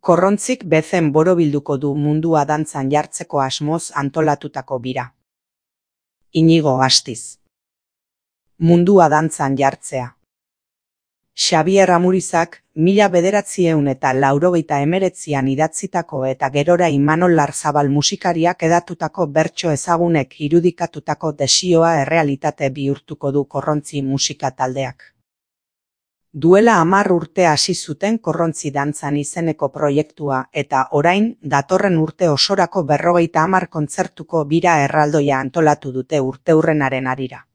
Korrontzik bezen borobilduko du mundua dantzan jartzeko asmoz antolatutako bira. Inigo Astiz. Mundua dantzan jartzea. Xabier Amurizak 1989an idatzitako eta gerora Imanol Larzabal musikariak edatutako bertso ezagunek irudikatutako desioa errealitate bihurtuko du Korrontzi musika taldeak. Duela 10 urte hasi zuten Korrontzi dantzan izeneko proiektua eta orain datorren urte osorako 50 kontzertuko bira erraldoia antolatu dute urteurrenaren harira.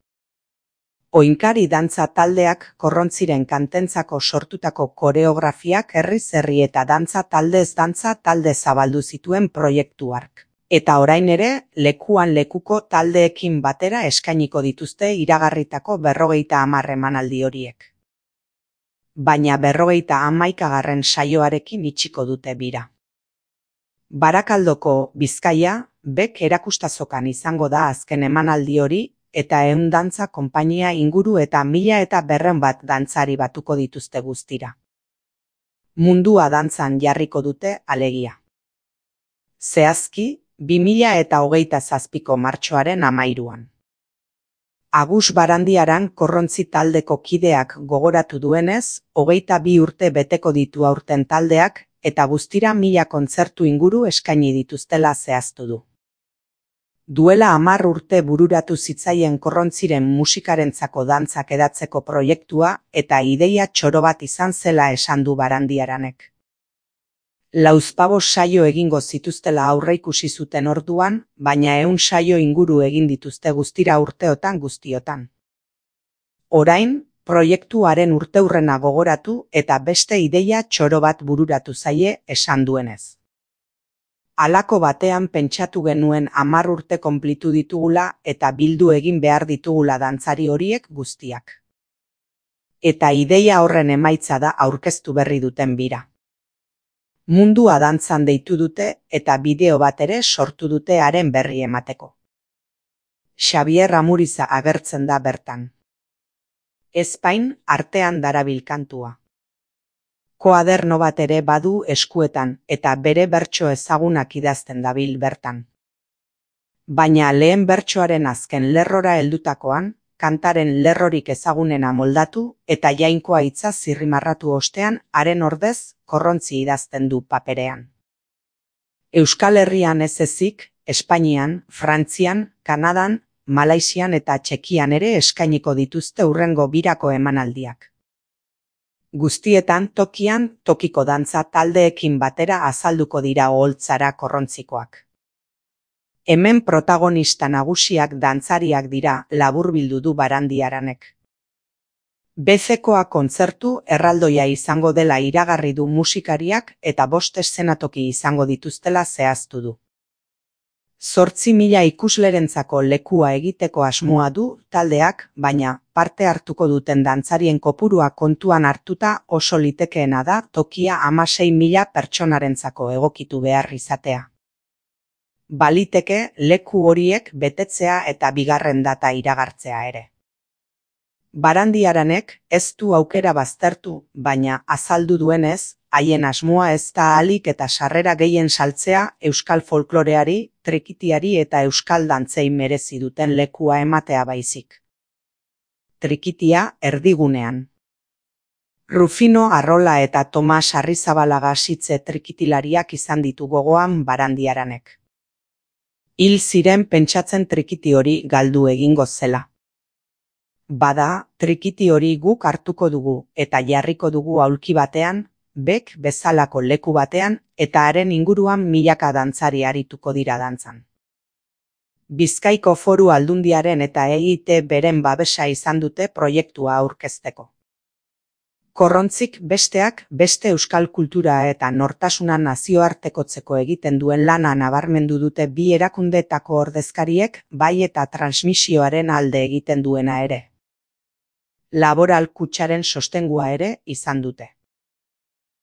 Oinkari dantza taldeak Korrontziren kantentzako sortutako koreografiak herriz herri eta dantza taldez dantza talde zabaldu zituen proiektu hark. Eta orain ere, lekuan lekuko taldeekin batera eskainiko dituzte iragarritako 50 emanaldi horiek. Baina 51. saioarekin itxiko dute bira. Barakaldoko Bizkaia, Bek erakustazokan izango da azken emanaldi hori, eta 100 dantza konpainia inguru eta 1200 bat dantzari batuko dituzte guztira. Mundua dantzan jarriko dute alegia. Zehazki, 2027ko martxoaren 13an. Agus Barandiaran Korrontzi taldeko kideak gogoratu duenez, 22 urte beteko ditu aurten taldeak, eta guztira 1000 kontzertu inguru eskaini dituztela zehaztu du. Duela 10 urte bururatu zitzaien Korrontziren musikarentzako dantzak edatzeko proiektua eta ideia txoro bat izan zela esan du Barandiaranek. Lauzpabost saio egingo zituztela aurreikusi zuten orduan, baina 100 saio inguru egin dituzte guztira urteotan guztiotan. Orain, proiektuaren urteurrena gogoratu eta beste ideia txoro bat bururatu zaie esan duenez. Halako batean pentsatu genuen 10 urte konplitu ditugula eta bildu egin behar ditugula dantzari horiek guztiak. Eta ideia horren emaitza da aurkeztu berri duten bira. Mundua dantzan deitu dute eta bideo bat ere sortu dute haren berri emateko. Xabier Amuriza agertzen da bertan. Ezpain artean darabil kantua. Koaderno bat ere badu eskuetan eta bere bertso ezagunak idazten dabil bertan. Baina lehen bertsoaren azken lerrora heldutakoan, kantaren lerrorik ezagunena moldatu eta jainkoa hitza zirrimarratu ostean haren ordez Korrontzi idazten du paperean. Euskal Herrian ez ezik, Espainian, Frantzian, Kanadan, Malaisian eta Txekian ere eskainiko dituzte hurrengo birako emanaldiak. Guztietan tokian tokiko dantza taldeekin batera azalduko dira oholtzara Korrontzikoak. Hemen protagonista nagusiak dantzariak dira laburbildu du Barandiaranek. Bezekoa kontzertu erraldoia izango dela iragarri du musikariak eta 5 eszenatoki izango dituztela zehaztu du. 8.000 ikuslerentzako lekua egiteko asmoa du taldeak, baina parte hartuko duten dantzarien kopurua kontuan hartuta oso litekeena da tokia 16.000 pertsonarentzako egokitu behar izatea. Baliteke leku horiek betetzea eta bigarren data iragartzea ere. Barandiaranek ez du aukera baztertu, baina azaldu duenez, haien asmoa ez da ahalik eta sarrera gehien saltzea euskal folkloreari, trikitiari eta euskal dantzei merezi duten lekua ematea baizik. Trikitia erdigunean. Rufino Arrola eta Tomas Arrizabalaga sitze trikitilariak izan ditu gogoan Barandiaranek. Hil ziren pentsatzen trikiti hori galdu egingo zela. Bada, trikiti hori guk hartuko dugu eta jarriko dugu aulki batean, Bek bezalako leku batean eta haren inguruan milaka dantzari arituko dira dantzan. Bizkaiko Foru Aldundiaren eta EIT beren babesa izan dute proiektua aurkezteko. Korrontzik besteak beste euskal kultura eta nortasuna nazioartekotzeko egiten duen lana nabarmendu dute bi erakundeetako ordezkariek bai eta transmisioaren alde egiten duena ere. Laboral Kutxaren sostengua ere izan dute.